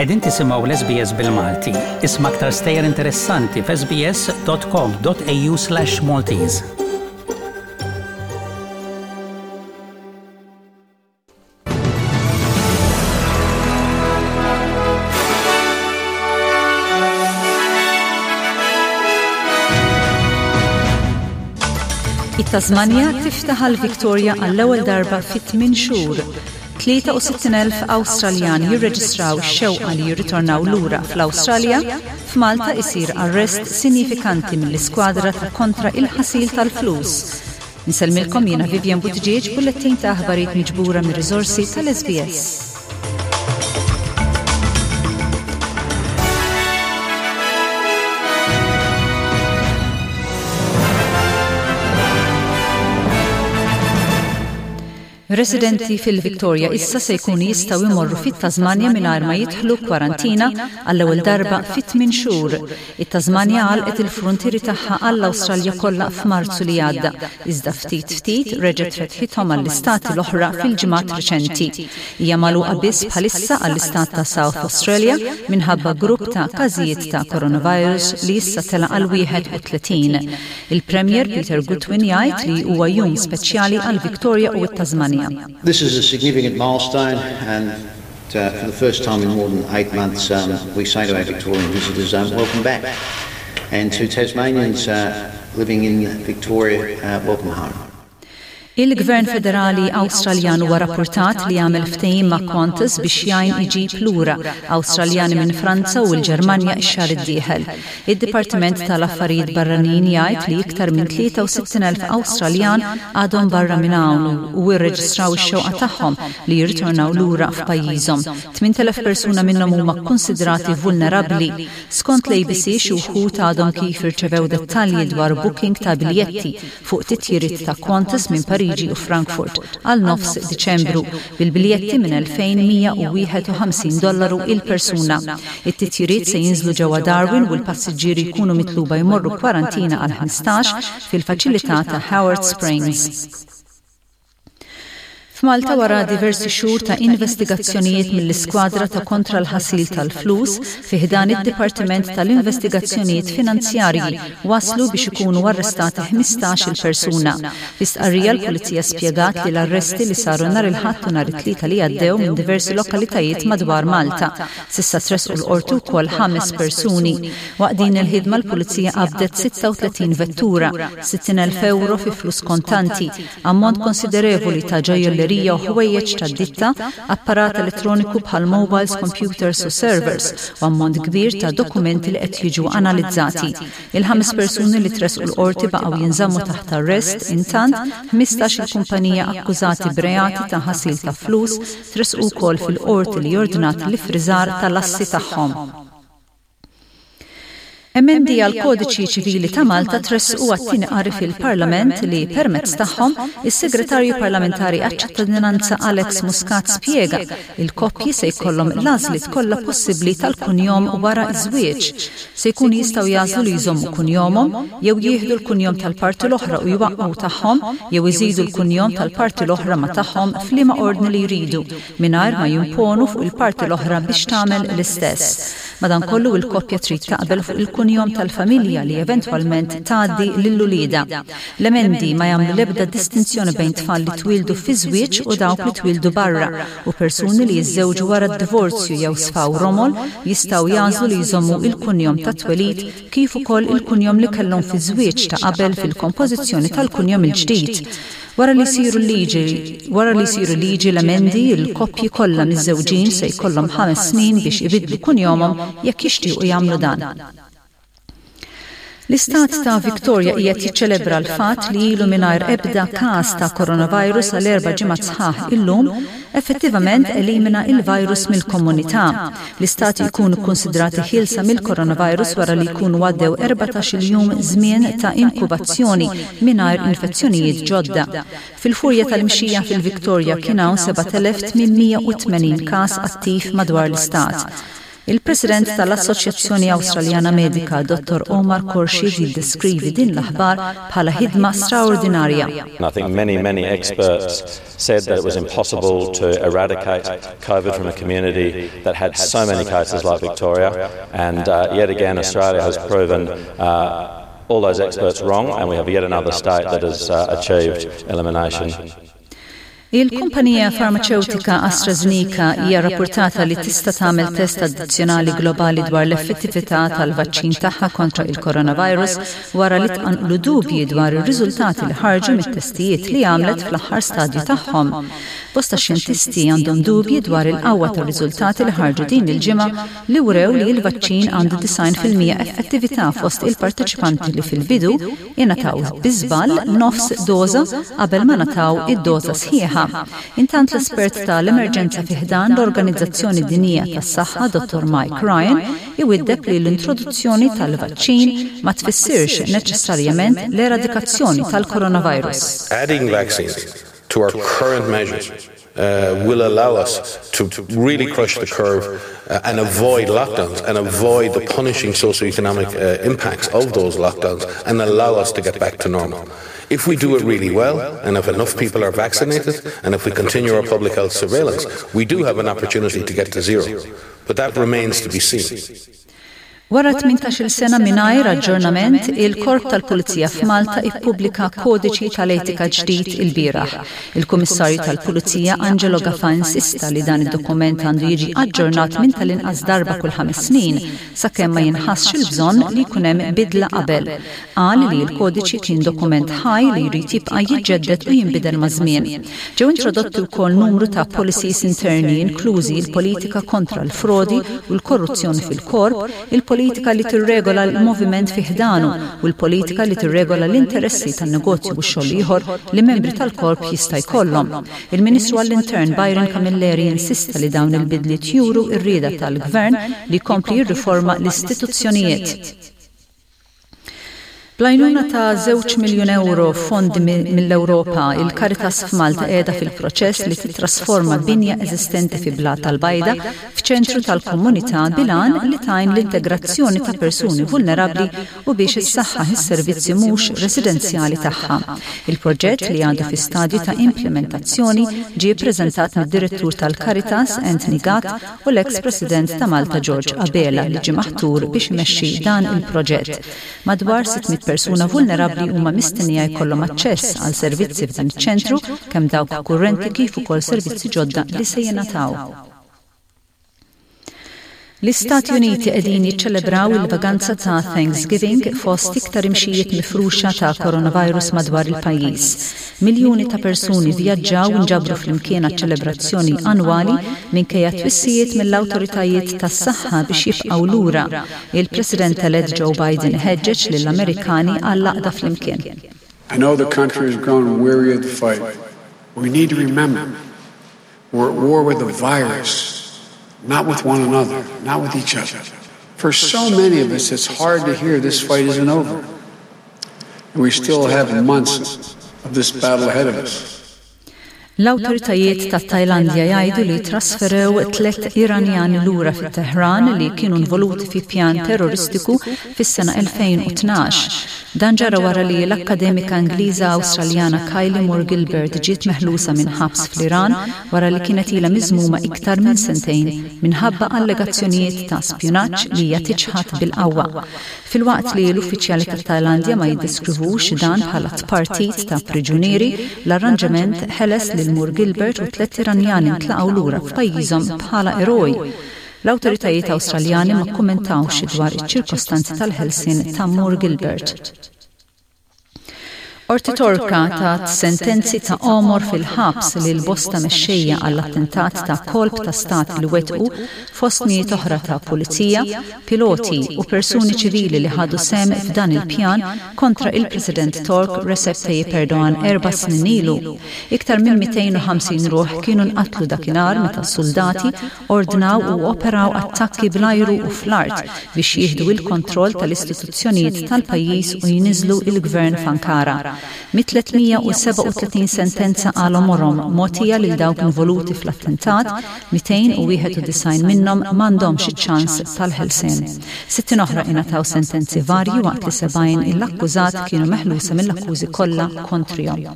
Qegħdin tisimgħu l-SBS bil-Malti. Isma' aktar stejjer interessanti f'sbs.com.au/Maltese. It-Tasmanja tiftaħ għal Victoria għall-ewwel darba fi tmien xhur. 63,000 Awstraljan jirreġistraw x-xewqa li jirritornaw lura fl-Awstralja, f'Malta isir arrest sinifikanti mill-iskwadra ta' kontra il-ħasil tal-flus. Insellmilkom jiena Vivian Buttigieg bullettin ta' aħbarijiet miġbura mir-riżorsi tal-SBS. Residenti fil-Victoria issa se jkunu jistgħu jmorru fit-Tasmanja mingħajr ma jidħlu kwarantina għall-ewwel darba fi tmien xhur. It-Tasmanja għalqet il-fruntieri tagħha għall-Awstralja kollha f'Marzu li għadda, iżda ftit ftit reġgħet fetħithom għall-istati l-oħra fil-ġimgħat riċenti. Hija magħluqa biss bħalissa għall-istat ta' South Australia minħabba grupp ta' każijiet ta' coronavirus li issa tela' għal 31. Il-Premier Peter Gutwin jgħid li huwa jum speċjali għal Victoria u t-Tasmanja. This is a significant milestone and uh, for the first time in more than eight months um, we say to our Victorian visitors, um, welcome back. And to Tasmanians uh, living in Victoria, uh, welcome home. Il-Gvern Federali Awstraljan huwa rappurtat li għamel ftehim ma' Qantas biex jgħin iġib lura Awstraljani minn Franza u l-Ġermanja x-xahar id-dieħel. Id-Dipartiment tal-Affarijiet Barranin jgħid li iktar minn 63,000 Awstraljan għadhom barra minn hawn u rreġistraw ix-xewqa tagħhom li jirritornaw lura f'pajjiżhom. 8,000 persuna minnhom huma kkunsidrati vulnerabbli. Skont l-ABC xi wħud għadhom kif irċevew dettalji dwar booking ta' biljetti fuq titjiriet ta' Qantas minn Pariġi u Frankfurt għal nofs Diċembru, bil-biljetti minn 2,151 dollaru il-persuna. It-titjiriet se jinżlu ġewwa Darwin u l-passiġġieri jkunu mitluba jmorru kwarantina għal 15 fil-faċilità ta' Howard Springs. F'Malta wara diversi xhur ta' investigazzjonijiet mill-Iskwadra ta' Kontra l-Ħasil tal-Flus fi ħdan id-Dipartiment tal-Investigazzjonijiet Finanzjarji waslu biex ikunu arrestati 15-il persuna. Fi stqarrija l-Pulizija spjegat li l-arresti li saru nhar il-Ħadd u nhar it-Tlieta li għaddew minn diversi lokalitajiet madwar Malta. S'issa tressqu l-Qorti wkoll ħames persuni. Waqt din il-ħidma l-Pulizija qabdet 36 vettura, 60,000 ewro fi flus kontanti, Ammont konsiderevoli ta' ġojjellerija u ħwejjeġ tad-ditta, apparat elettroniku bħal mobiles, computers u servers, u ammont kbir ta' dokumenti li qed jiġu analizzati. Il-ħames persuni li tressqu l-Qorti baqgħu jinżammu taħt arrest, intant, 15-il kumpanija akkużati b'reati ta' ħasil ta' flus tressqu wkoll fil-Qorti li ordnat l-iffriżar tal-assi tagħhom. Emendi għall-Kodiċi Ċivili ta' Malta tressqu għat-tieni qari fil-Parlament li permezz tagħhom is-Segretarju Parlamentari għaċ-Ċittadinanza Alex Muscat spjega il-koppji se jkollhom l-għażliet kollha possibbli tal-kunjom wara ż-żwieġ. Se jkunu jistgħu jagħżlu li jżommu kunjomhom, jew jieħdu l-kunjom tal-parti l-oħra u jwaqqgħu tagħhom, jew iżidu l-kunjom tal-parti l-oħra ma' tagħhom f'liema ordni li jridu, mingħajr ma jimponu fuq il-parti l-oħra biex tagħmel l-istess. Madankollu, il-koppja trid taqbel fuq il-kunjom tal-familja li eventwalment tgħaddi lil uliedha. L-emendi ma jagħmlu l-ebda distinzjoni bejn tfal li twieldu fi żwieġ u dawk li twieldu barra, u persuni li jiżżewġu wara d-divorzju jew sfaw romol jistgħu jagħżlu li jżommu il-kunjom tat-twelid kif ukoll il-kunjom li kellhom fiż-żwieġ ta' qabel fil-kompożizzjoni tal-kunjom il-ġdid. Wara li jsiru liġi wara li jsiru liġi l-emendi, il-koppji kollha miżżewġin se jkollhom ħames snin biex ibiddlu kunjomhom jekk jixtiequ jagħmlu dan. L-Istat ta' Victoria qiegħed jiċċelebra l-fatt li ilu mingħajr ebda każ ta' coronavirus għal erba' ġimgħat sħaħ illum, effettivament elimina il-virus mill-komunità. L-istati jkunu kkunsidrati ħielsa mill-coronavirus wara li jkunu għaddew 14-il jum żmien ta' inkubazzjoni mingħajr infezzjonijiet ġodda. Fil-furja tal-imxija fil-Victoria kien hawn 7,880 każ attiv madwar l-istat. Il-President tal-Assoċjazzjoni Awstraljana Medika, Dottor Omar Khorshid jiddeskrivi din l-aħbar bħala ħidma straordinarja. I think many, many experts said that it was impossible to eradicate COVID from a community that had so many cases like Victoria and uh, yet again Australia has proven uh, all those experts wrong and we have yet another state that has uh, achieved elimination. Il-kumpanija farmaċewtika AstraZeneca hija rappurtata li tista' tagħmel test addizzjonali globali dwar l-effettività tal-vaċċin tagħha kontra il-coronavirus wara li tqanqlu dubji dwar ir-riżultati li ħarġu mit-testijiet li għamlet fl-aħħar stadju tagħhom. Bosta xjentisti għandhom dubji dwar il-qawwa tar-riżultati li ħarġu din il-ġimgħa li wrew li l-vaċċin għandu 90% effettività fost il-parteċipanti li fil-bidu ingħataw bi żball nofs doża qabel ma ngħataw id-doża sħiħa. Intant l-espert ta' l-emerġenza fi ħdan l-Organizzazzjoni Dinjija tas-Saħħa Dottor Mike Ryan iwiddeb li l-introduzzjoni tal-vaċċin ma tfissirx neċessarjament l-eradikazzjoni tal-coronavirus. Adding vaccines to our current measures uh, will allow us to really crush the curve uh, and avoid lockdowns and avoid the punishing socioeconomic uh, impacts of those lockdowns and allow us to get back to normal. If we do it really well, and if enough people are vaccinated, and if we continue our public health surveillance, we do have an opportunity to get to zero. But that remains to be seen. Wara 18-il sena mingħajr aġġornament, il-Korp tal-Pulizija f'Malta ippubblika kodiċi tal-etika ġdid ilbieraħ. Il-Kummissarju tal-Pulizija Angelo Gafà insista li dan id-dokument għandu jiġi aġġornat minn tal-inqas darba kull ħames snin sakemm ma jinħassx il-bżonn li jkun hemm bidla qabel. Qal li l-kodiċi kien dokument ħaj li jrid jibqa' jiġġedded u jinbidel maż-żmien. Ġew introdotti wkoll numru ta' policies interni inklużi l-politika kontra l-frodi u l-korruzzjoni fil-korp, il-politika li tirregola l-moviment fi ħdanu u l-politika li tirregola l-interessi tan-negozju u xogħol ieħor li membri tal-korp jista' jkollhom. Il-Ministru għall-Intern Byron Camilleri insista li dawn il-bidliet juru r-rieda tal-Gvern li jkompli jirriforma l-istituzzjonijiet. Bl-għajnuna ta' żewġ miljun ewro fondi mill-Ewropa, il-Caritas f'Malta qiegħda fil-proċess li tittrasforma binja eżistenti fi Blata l-Bajda f'ċentru tal-komunità bil-għan li tgħin l-integrazzjoni ta' persuni vulnerabbli u biex issaħħaħ is-servizzi mhux residenzjali tagħha. Il-proġett, li għadu fi stadju ta' implimentazzjoni, ġie ppreżentat mid-Direttur tal-Caritas, Anthony Gatt, u l-eks President ta' Malta George Abela li ġie maħtur biex imexxi dan il-proġett. Madwar 600 persuna vulnerabbli huma mistennija jkollhom aċċess għal servizzi f'dan iċ-ċentru, kemm dawk kurrenti kif ukoll servizzi ġodda li se jingħataw. L-Istati Uniti qegħdin jiċċelebraw il-vaganza ta' Thanksgiving fost iktar imxijiet mifruxa ta' coronavirus madwar il-pajjiż. Miljuni ta' persuni vvjaġġaw u nġabru flimkien għaċ-ċelebrazzjoni annwali minkejja twissijiet mill-awtoritajiet tas-saħħa biex jibqgħu lura. Il-President elett Joe Biden iħeġġeġ lill-Amerikani għall-għaqda flimkien. I know the country has grown weary of the fight. We need to remember we're at war with the virus, not with one another, not with each other. For so many of us, it's hard to hear this fight isn't over. And we still have months of this battle ahead of us. L-awtoritajiet tat-Tajlandja jgħidu li trasferew tliet Iranjani lura fit-Tehran li kienu involuti fi pjan terroristiku fis-sena 2012. Dan ġara wara li l-akkademika Ingliża Awstraljana Kylie Moore Gilbert ġiet meħlusa minn ħabs fl-Iran wara li kienet ilha miżmuma iktar minn sentejn minħabba allegazzjonijiet ta' spjunaġġ li hija tiċħad bil-qawwa. Filwaqt li l-uffiċjali tat-Tajlandja ma jiddeskrivux dan bħala tpartit ta' priġunieri, l-arranġament ħeles lil Moore Gilbert u t-tlett Iranjani ntlaqgħu lura f'pajjiżhom bħala eroj. L-awtoritajiet Awstraljani ma kkummentawx dwar iċ-ċirkostanzi tal-ħelsien ta' Moore Gilbert. Qorti Torka tat sentenzi ta' għomor fil-ħabs lil bosta mexxejja għall-attentat ta' kolp ta' stat li wettqu fost mijiet oħra ta' pulizija, piloti u persuni ċivili li ħadu sehem f'dan il-pjan kontra il-President Tork Recep Tayyip Erdogan erba' snin ilu. Iktar minn 250 ruħ kienu nqatlu dakinhar meta s-suldati ordnaw u operaw attakki bl-ajru u fl-art biex jieħdu il-kontroll tal-istituzzjonijiet tal-pajjiż u jniżżlu il-gvern f'Ankara. Mit-337 sentenza għal għomorhom mogħtija lil dawk involuti fl-attentat, 291 minnhom m'għandhomx iċ-ċans tal-ħelsien. 60 oħra ingħataw sentenzi varji waqt li 70 il-akkużat kienu meħlusa mill-akkużi kollha kontrihom.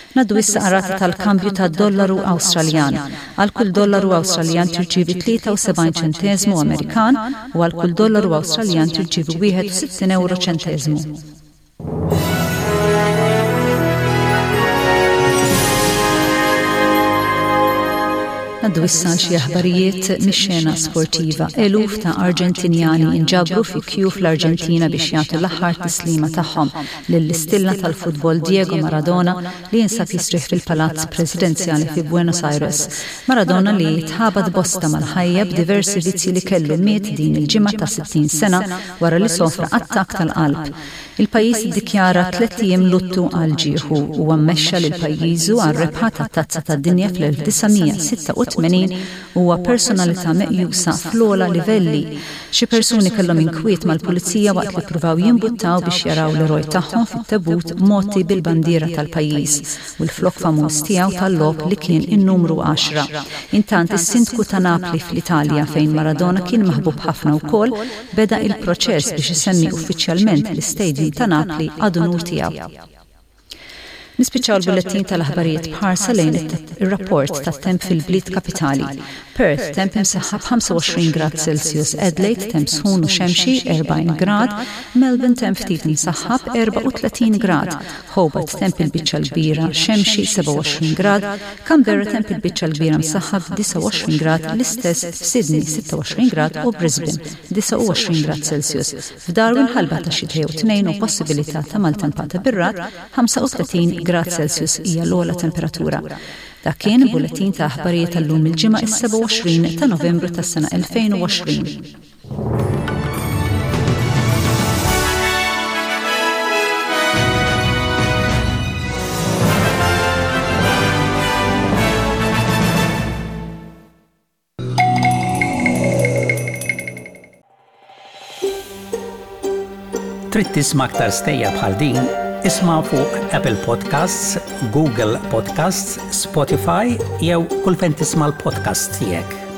Ngħaddu issa għar-rata tal-kambju tad-dollaru Awstraljan. Għal kull dollaru Awstraljan tirċievi 73 ċenteżmu Amerikan u għal kull dollaru Awstraljan tirċievi 61 ewro ċenteżmu. Ngħaddu issa għal xi aħbarijiet mix-xena sportiva. Eluf ta' Arġentinjani inġabru fi kju fl-Arġentina biex jagħtu l-aħħar tislima tagħhom lill-istilla tal-futbol Diego Maradona li jinsab jistrieħ fil-Palazz Presidenzjali fi Buenos Aires. Maradona li tħabat bosta mal-ħajja b'diversi vizzji li kellu miet din il-ġimgħa ta' 60 sena wara li sofra attakk tal-qalb. Il-pajjiż iddikjara tlett ijiem luttu għal ġieħu. Huwa mmexxa lil pajjiżu għar-rebħa tat-Tazza tad-Dinja fl-1986 u huwa personalità meqjusa fl-ogħla livelli. Xi persuni kellhom inkwiet mal-pulizija waqt li ppruvaw jimbuttaw biex jaraw l-eroj tagħhom fit-tebut mgħotti bil-bandiera tal-pajjiż u l-flokk famuż tiegħu tal-logħob li kien in-numru għaxra. Intant, is-Sindku ta' Napli fl-Italja, fejn Maradona kien maħbub ħafna wkoll, beda il-proċess biex isemmi uffiċjalment l-istadium ta' Napli ad unur tiegħu. Nispiċċaw l-bullettin tal-aħbarijiet b'ħarsa lejn ir-rapport tat-temp fil-bliet kapitali. Perth, temp imsaħħab 25 grad Celsius, Adelaide, temp sħun u xemxi 40 grad, Melbourne temp ftit imsaħħab 34 grad, Hobart temp il-biċċa l-kbira xemxi 27 grad, Canberra temp il-biċċa l-kbira msaħħab 29 grad, l-istess f'Sydney 26 grad u Brisbane 29 grad Celsius. F'Darwin ħalba ta' xi jew tnejn u possibilità ta' maltempata bir-ragħad, 35 grad Celsius hija l-ogħla temperatura. Dak kien bulletin ta' aħbarijiet tal-lum il-Ġimgħa is-27 ta' Novembru tas-sena 2020. Trid tisma' aktar stejjer bħal din? Isma' fuq Apple Podcasts, Google Podcasts, Spotify jew kull fejn tisma' l-podcasts tiegħek.